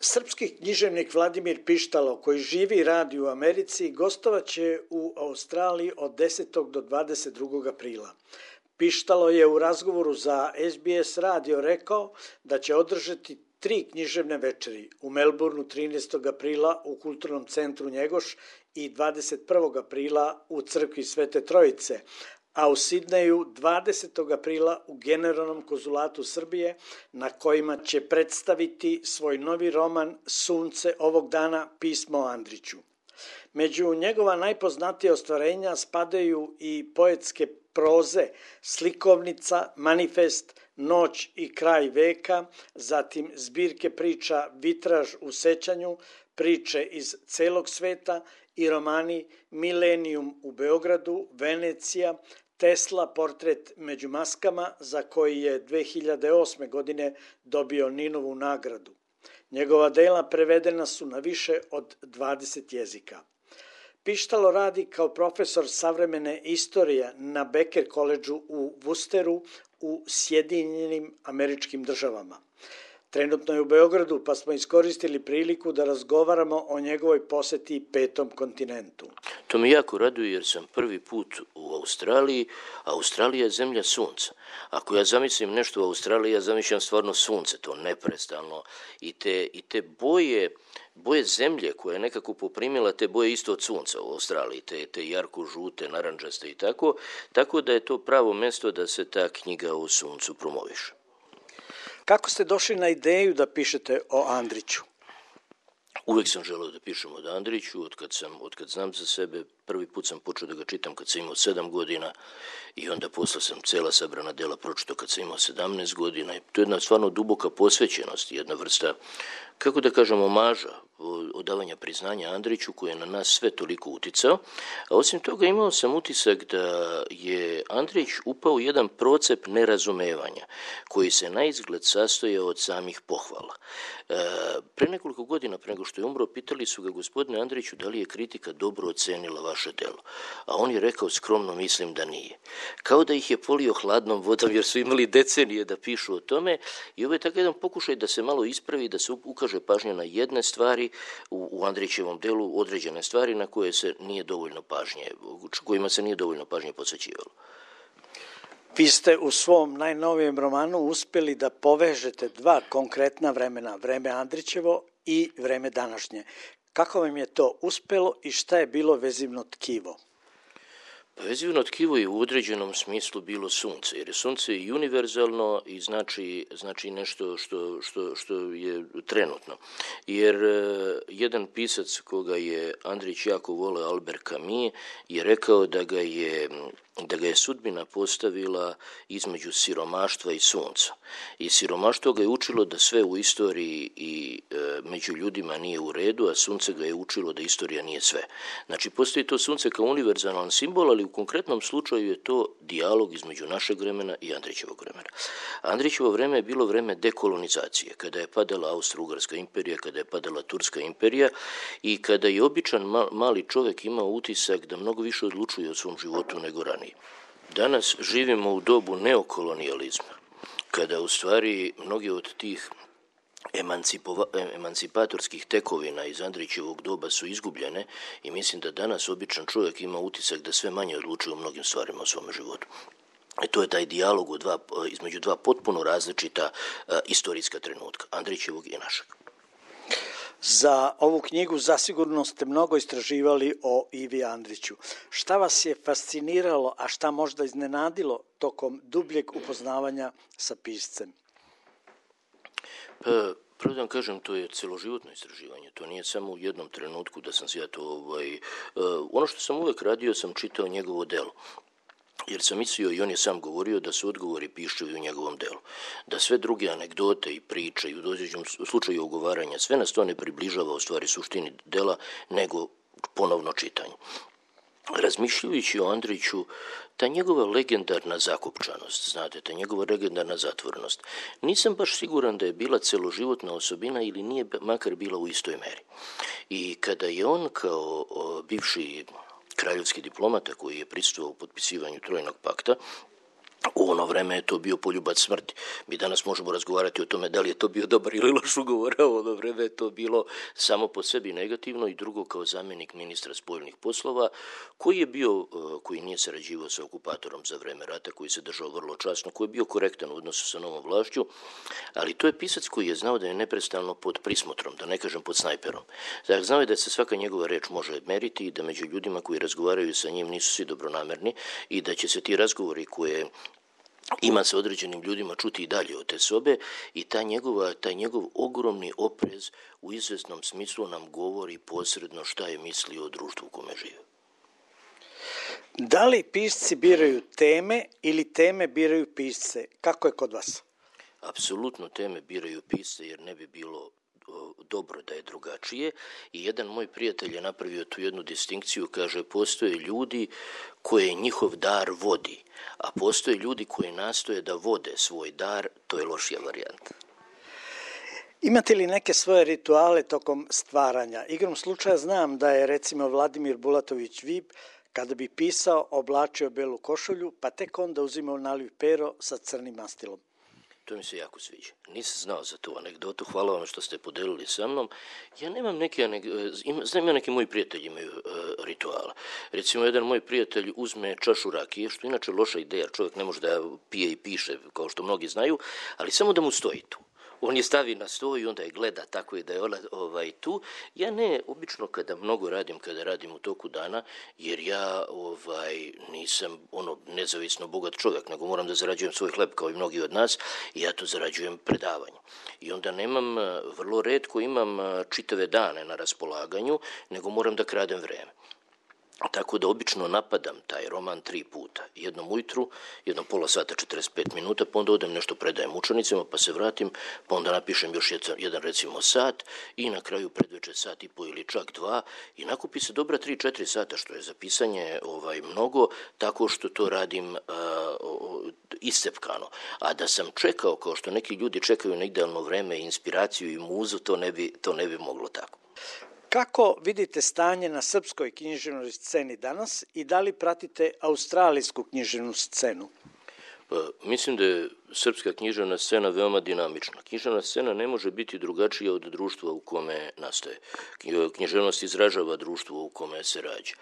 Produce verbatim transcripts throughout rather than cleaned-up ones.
Srpski književnik Vladimir Pištalo, koji živi i radi u Americi, gostovaće u Australiji od desetog do dvadeset drugog aprila. Pištalo je u razgovoru za S B S radio rekao da će održati tri književne večeri u Melbourneu trinaestog aprila u Kulturnom centru Njegoš i dvadeset prvog aprila u crkvi Svete Trojice, a u Sidneju dvadesetog aprila u Generalnom konzulatu Srbije, na kojima će predstaviti svoj novi roman Sunce ovog dana, pismo o Andriću. Među njegova najpoznatija ostvarenja spadaju i poetske proze Slikovnica, Manifest, Noć i kraj veka, zatim zbirke priča Vitraž u sećanju, priče iz celog sveta i romani Milenijum u Beogradu, Venecija, Tesla, portret među maskama, za koji je dve hiljade osme. godine dobio Ninovu nagradu. Njegova dela prevedena su na više od dvadeset jezika. Pištalo radi kao profesor savremene istorije na Becker koledžu u Worcesteru u Sjedinjenim Američkim Državama. Trenutno je u Beogradu, pa smo iskoristili priliku da razgovaramo o njegovoj poseti petom kontinentu. To me jako raduje jer sam prvi put u Australiji, a Australija je zemlja sunca. Ako ja zamislim nešto u Australiji, ja zamišljam stvarno sunce, to neprestalno. I te, i te boje, boje zemlje koja je nekako poprimila te boje isto od sunca u Australiji, te, te jarko-žute, naranđaste i tako, tako da je to pravo mesto da se ta knjiga o suncu promoviše. Kako ste došli na ideju da pišete o Andriću? Uvijek sam želeo da pišem o Andriću, od kad, sam, od kad znam za sebe. Prvi put sam počeo da ga čitam kad sam imao sedam godina i onda posle sam cela sabrana dela pročitao kad sam imao sedamnaest godina. I to je jedna stvarno duboka posvećenost, jedna vrsta, kako da kažem, omaža, odavanja priznanja Andriću koji je na nas sve toliko uticao. A osim toga imao sam utisak da je Andrić upao u jedan procep nerazumevanja koji se na izgled sastojao od samih pohvala. E, pre nekoliko godina, pre nego što je umro, pitali su ga: gospodine Andriću, da li je kritika dobro ocenila vaše delo? A on je rekao: skromno mislim da nije. Kao da ih je polio hladnom vodom jer su imali decenije da pišu o tome, i ovo je tako jedan pokušaj da se malo ispravi, da se ukaže pažnja na jedne stvari u, u Andrićevom delu, određene stvari na koje se nije dovoljno pažnje, kojima se nije dovoljno pažnje posvećivalo. Vi ste u svom najnovijem romanu uspeli da povežete dva konkretna vremena, vreme Andrićevo i vreme današnje. Kako vam je to uspelo i šta je bilo vezivno tkivo? Pa vezivno tkivo je u određenom smislu bilo sunce, jer je sunce i univerzalno i znači, znači nešto što, što, što je trenutno. Jer uh, jedan pisac koga je Andrić jako voleo, Albert Camus, je rekao da ga je da ga je sudbina postavila između siromaštva i sunca. I siromaštvo ga je učilo da sve u istoriji i e, među ljudima nije u redu, a sunce ga je učilo da istorija nije sve. Znači, postoji to sunce kao univerzalan simbol, ali u konkretnom slučaju je to dijalog između našeg vremena i Andrićevog vremena. Andrićevo vreme je bilo vreme dekolonizacije, kada je padala Austro-Ugarska imperija, kada je padala Turska imperija i kada je običan mali čovjek imao utisak da mnogo više odlučuje o svom životu nego ranije. Danas živimo u dobu neokolonijalizma, kada u stvari mnogi od tih emancipatorskih tekovina iz Andrićevog doba su izgubljene i mislim da danas običan čovjek ima utisak da sve manje odlučuje o mnogim stvarima u svom životu. I to je taj dijalog u dva, između dva potpuno različita uh, istorijska trenutka, Andrićevog i našeg. Za ovu knjigu zasigurno ste mnogo istraživali o Ivi Andriću. Šta vas je fasciniralo, a šta možda iznenadilo tokom dubljeg upoznavanja sa piscem? Pa, prvo da vam kažem, to je celoživotno istraživanje. To nije samo u jednom trenutku da sam se ja to... Ovaj, uh, ono što sam uvek radio, sam čitao njegovo delo. Jer sam mislio, i on je sam govorio, da su odgovori piševi u njegovom delu. Da sve druge anegdote i priče i u dođeđem slučaju ogovaranja, sve nas to ne približava u stvari suštini dela, nego ponovno čitanje. Razmišljajući o Andriću, ta njegova legendarna zakopčanost, znate, ta njegova legendarna zatvorenost, nisam baš siguran da je bila celoživotna osobina ili nije makar bila u istoj meri. I kada je on kao o, bivši kraljevski diplomata koji je prisustvovao u potpisivanju Trojnog pakta, U ono vreme je to bio poljubac smrti. Mi danas možemo razgovarati o tome da li je to bio dobar ili loš ugovor, a u ono vreme je to bilo samo po sebi negativno. I drugo, kao zamjenik ministra spoljnih poslova, koji je bio, koji nije sarađivao sa okupatorom za vreme rata, koji se držao vrlo časno, koji je bio korektan u odnosu sa novom vlašću, ali to je pisac koji je znao da je neprestano pod prismotrom, da ne kažem pod snajperom. Dakle, znao je da se svaka njegova reč može meriti i da među ljudima koji razgovaraju sa njim nisu svi dobronamerni i da će se ti razgovori koje ima sa određenim ljudima čuti i dalje od te sobe i ta njegova, taj njegov ogromni oprez u izvesnom smislu nam govori posredno šta je mislio o društvu u kome žive. Da li pisci biraju teme ili teme biraju pisce? Kako je kod vas? Apsolutno teme biraju pisce jer ne bi bilo dobro da je drugačije i jedan moj prijatelj je napravio tu jednu distinkciju, kaže postoje ljudi koje njihov dar vodi, a postoje ljudi koji nastoje da vode svoj dar, to je lošija varijanta. Imate li neke svoje rituale tokom stvaranja? Igrom slučaja znam da je recimo Vladimir Bulatović Vip kada bi pisao oblačio belu košulju pa tek onda uzimao naliv pero sa crnim mastilom. To mi se jako sviđa. Nisam znao za tu anegdotu, hvala vam što ste podelili sa mnom. Ja nemam neke, znam ja neki moji prijatelji imaju uh, rituala. Recimo, jedan moj prijatelj uzme čašu rakije, što je inače loša ideja, čovjek ne može da pije i piše, kao što mnogi znaju, ali samo da mu stoji tu. On je stavi na sto i onda je gleda tako i da je ona ovaj, tu. Ja ne, obično kada mnogo radim, kada radim u toku dana, jer ja ovaj, nisam ono nezavisno bogat čovjek, nego moram da zarađujem svoj hleb kao i mnogi od nas i ja to zarađujem predavanjem. I onda nemam, vrlo retko imam čitave dane na raspolaganju, nego moram da kradem vreme. Tako da obično napadam taj roman tri puta. Jednom ujutru, jednom pola sata, četrdeset pet minuta, pa onda odem nešto predajem učenicima, pa se vratim, pa onda napišem još jedan, jedan recimo sat i na kraju predveče sat i po ili čak dva i nakupi se dobra tri četiri sata, što je za pisanje ovaj, mnogo, tako što to radim uh, iscepkano. A da sam čekao, kao što neki ljudi čekaju na idealno vreme, inspiraciju i muzu, to ne bi, to ne bi moglo tako. Kako vidite stanje na srpskoj književnoj sceni danas i da li pratite australijsku književnu scenu? Pa, mislim da je srpska književna scena veoma dinamična. Književna scena ne može biti drugačija od društva u kome nastaje. Književnost izražava društvo u kome se rađa.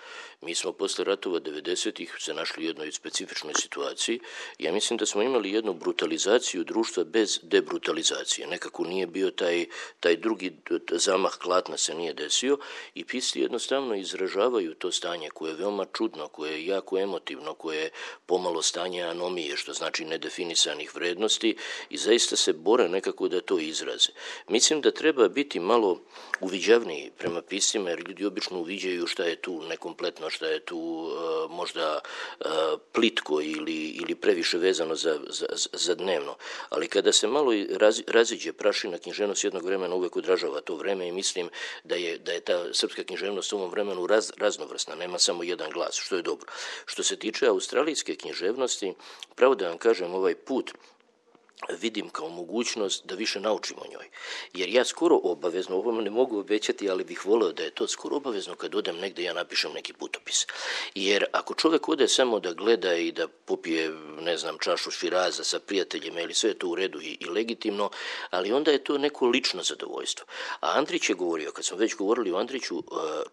Mi smo posle ratova devedesetih se našli u jednoj specifičnoj situaciji. Ja mislim da smo imali jednu brutalizaciju društva bez debrutalizacije. Nekako nije bio taj, taj drugi zamah klatna se nije desio i pisci jednostavno izražavaju to stanje koje je veoma čudno, koje je jako emotivno, koje je pomalo stanje anomije, što znači nedefinisanih vrednosti i zaista se bore nekako da to izraze. Mislim da treba biti malo uviđavniji prema piscima, jer ljudi obično uviđaju šta je tu nekompletno, šta je tu uh, možda uh, plitko ili, ili previše vezano za, za, za dnevno. Ali kada se malo raz, raziđe prašina, književnost jednog vremena uvek odražava to vreme i mislim da je, da je ta srpska književnost u ovom vremenu raz, raznovrsna, nema samo jedan glas, što je dobro. Što se tiče australijske književnosti, pravo da vam kažem, ovaj put vidim kao mogućnost da više naučim o njoj. Jer ja skoro obavezno, ovo ne mogu obećati, ali bih voleo da je to skoro obavezno kad odem negde ja napišem neki putopis. Jer ako čovjek ode samo da gleda i da popije, ne znam, čašu širaza sa prijateljima ili sve je to u redu i, i legitimno, ali onda je to neko lično zadovoljstvo. A Andrić je govorio, kad smo već govorili o Andriću,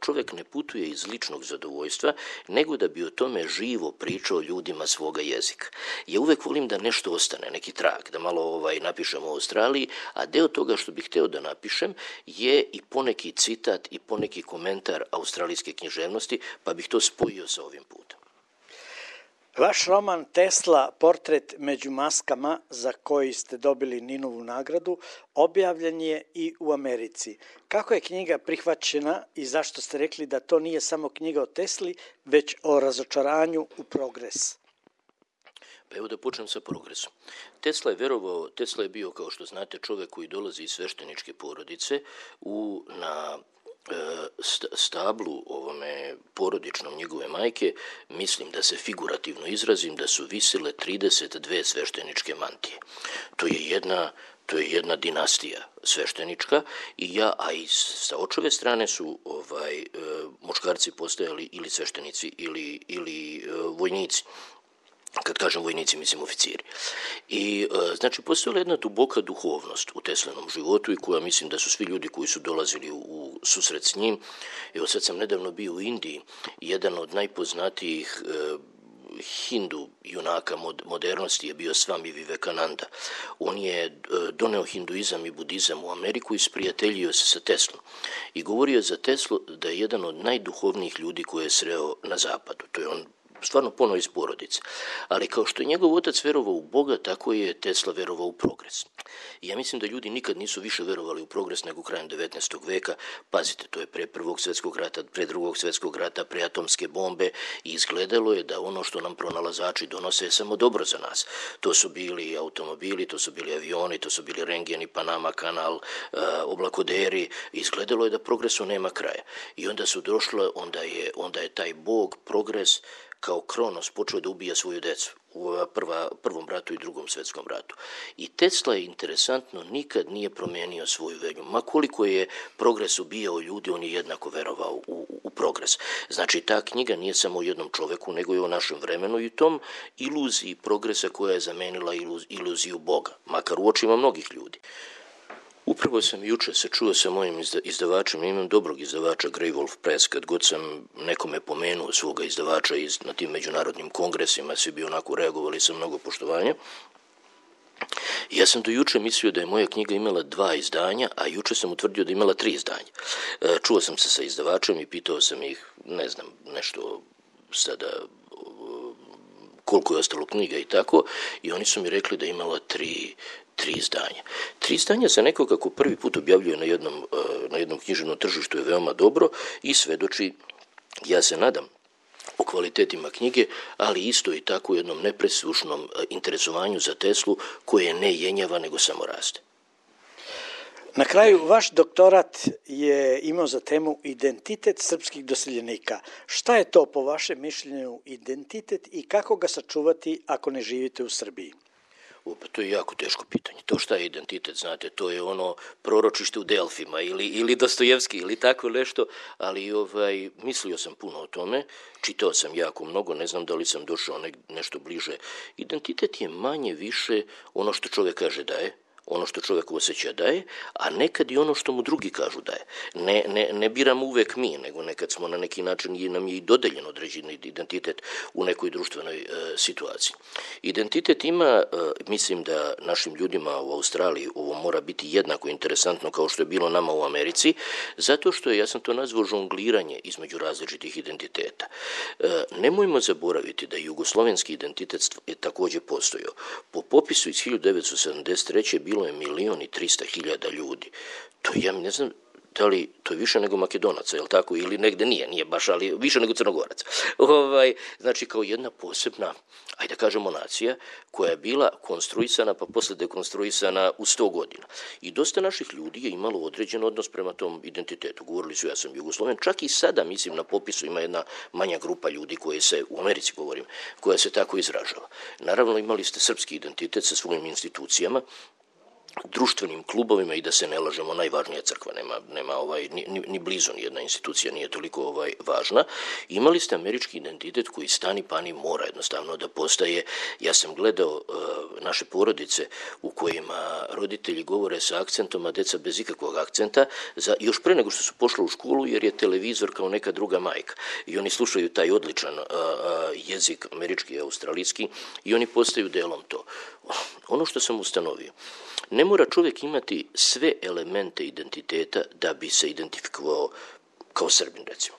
čovjek ne putuje iz ličnog zadovoljstva, nego da bi o tome živo pričao ljudima svoga jezika. Ja uvek volim da nešto ostane, neki trag, da malo ovaj, napišem o Australiji, a deo toga što bih hteo da napišem je i poneki citat i poneki komentar australijske književnosti, pa bih to spojio sa ovim putem. Vaš roman Tesla, portret među maskama, za koji ste dobili Ninovu nagradu, objavljen je i u Americi. Kako je knjiga prihvaćena i zašto ste rekli da to nije samo knjiga o Tesli, već o razočaranju u progres? Pa evo da počnem sa progresom. Tesla je verovao, Tesla je bio, kao što znate, čovjek koji dolazi iz svešteničke porodice u, na stablu ovome porodičnom njegove majke, mislim da se figurativno izrazim, da su visile trideset dve svešteničke mantije. To je jedna To je jedna dinastija sveštenička i ja, a i sa očeve strane su ovaj, muškarci postojali ili sveštenici ili, ili vojnici. Kad kažem vojnici, mislim oficiri. I znači postojala jedna duboka duhovnost u Teslinom životu i koja mislim da su svi ljudi koji su dolazili u susret s njim. Evo sad sam nedavno bio u Indiji, jedan od najpoznatijih e, Hindu junaka modernosti je bio Swami Vivekananda. On je doneo hinduizam i budizam u Ameriku i sprijateljio se sa Teslom. I govorio za Teslu da je jedan od najduhovnijih ljudi koje je sreo na zapadu. To je on stvarno ponovo iz porodice. Ali kao što je njegov otac verovao u Boga, tako je Tesla verovao u progres. I ja mislim da ljudi nikad nisu više verovali u progres nego krajem devetnaestog veka. Pazite, to je pre prvog svjetskog rata, pre drugog svjetskog rata, pre atomske bombe i izgledalo je da ono što nam pronalazači donose je samo dobro za nas. To su bili automobili, to su bili avioni, to su bili rengeni, Panama kanal, oblakoderi. Izgledalo je da progresu nema kraja. I onda su došle, onda je, onda je taj Bog, progres, kao Kronos počeo da ubija svoju decu u prva, prvom ratu i drugom svjetskom ratu. I Tesla je interesantno nikad nije promijenio svoju veru. Ma koliko je progres ubijao ljudi, on je jednako verovao u, u progres. Znači ta knjiga nije samo o jednom čoveku, nego je o našem vremenu i tom iluziji progresa koja je zamenila iluz, iluziju Boga, makar u očima mnogih ljudi. Upravo sam juče se čuo sa mojim izdavačem, imam dobrog izdavača Grey Wolf Press, kad god sam nekome pomenuo svoga izdavača iz, na tim međunarodnim kongresima, svi bi onako reagovali sa mnogo poštovanja. Ja sam do juče mislio da je moja knjiga imala dva izdanja, a juče sam utvrdio da je imala tri izdanja. Čuo sam se sa izdavačem i pitao sam ih, ne znam, nešto sada koliko je ostalo knjiga i tako, i oni su mi rekli da je imala tri tri izdanja. Tri izdanja za nekoga kako prvi put objavljuje na jednom, na jednom književnom tržištu je veoma dobro i svedoči, ja se nadam, o kvalitetima knjige, ali isto i tako jednom nepresušnom interesovanju za Teslu koje ne jenjava nego samo raste. Na kraju, vaš doktorat je imao za temu identitet srpskih doseljenika. Šta je to po vašem mišljenju identitet i kako ga sačuvati ako ne živite u Srbiji? Opa, to je jako teško pitanje. To šta je identitet, znate, to je ono proročište u Delfima ili, ili Dostojevski ili tako nešto, ali ovaj, mislio sam puno o tome, čitao sam jako mnogo, ne znam da li sam došao ne, nešto bliže. Identitet je manje više ono što čovjek kaže da je, ono što čovjek osjeća da je, a nekad i ono što mu drugi kažu da je. Ne, ne, ne biramo uvek mi, nego nekad smo na neki način i nam je i dodeljen određeni identitet u nekoj društvenoj e, situaciji. Identitet ima, e, mislim da našim ljudima u Australiji ovo mora biti jednako interesantno kao što je bilo nama u Americi, zato što je, ja sam to nazvao žongliranje između različitih identiteta. E, nemojmo zaboraviti da jugoslovenski identitet je također postojao. Po popisu iz hiljadu devetsto sedamdeset treće bilo je milion i trista hiljada ljudi. To ja ne znam da li to je više nego Makedonaca, je li tako, ili negde nije, nije baš, ali više nego Crnogoraca. Ovaj, znači kao jedna posebna, ajde da kažemo, nacija koja je bila konstruisana pa posle dekonstruisana u sto godina. I dosta naših ljudi je imalo određen odnos prema tom identitetu. Govorili su ja sam Jugosloven, čak i sada mislim na popisu ima jedna manja grupa ljudi koje se, u Americi govorim, koja se tako izražava. Naravno imali ste srpski identitet sa svojim institucijama, društvenim klubovima i da se ne lažemo, najvažnija crkva, nema, nema ovaj, ni, ni, ni blizu nijedna institucija nije toliko ovaj, važna. Imali ste američki identitet koji stani pani mora jednostavno da postaje. Ja sam gledao uh, naše porodice u kojima roditelji govore sa akcentom, a deca bez ikakvog akcenta, za, još pre nego što su pošli u školu, jer je televizor kao neka druga majka. I oni slušaju taj odličan uh, uh, jezik američki i australijski i oni postaju delom to. Ono što sam ustanovio, ne mora čovjek imati sve elemente identiteta da bi se identifikovao kao Srbin, recimo.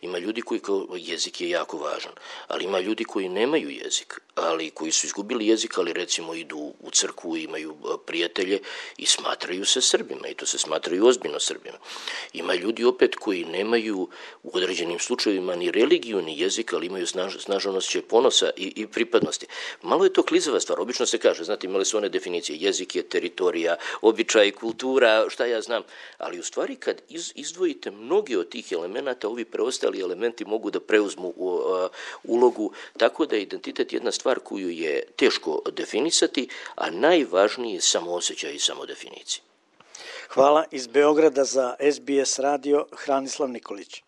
Ima ljudi koji kao jezik je jako važan, ali ima ljudi koji nemaju jezik, ali koji su izgubili jezik, ali recimo idu u crkvu, imaju prijatelje i smatraju se Srbima i to se smatraju ozbiljno Srbima. Ima ljudi opet koji nemaju u određenim slučajevima ni religiju ni jezik, ali imaju snaž, snažan osjećaj ponosa i, i pripadnosti. Malo je to klizava stvar, obično se kaže, znate, imali su one definicije, jezik je teritorija, običaj, kultura, šta ja znam, ali u stvari kad iz, izdvojite mnoge od tih elemenata, ovi preostali elementi mogu da preuzmu u, uh, ulogu, tako da je identitet jedna stvar koju je teško definisati, a najvažniji je samoosjećaj i samodefinicija. Hvala. Iz Beograda za S B S radio Hranislav Nikolić.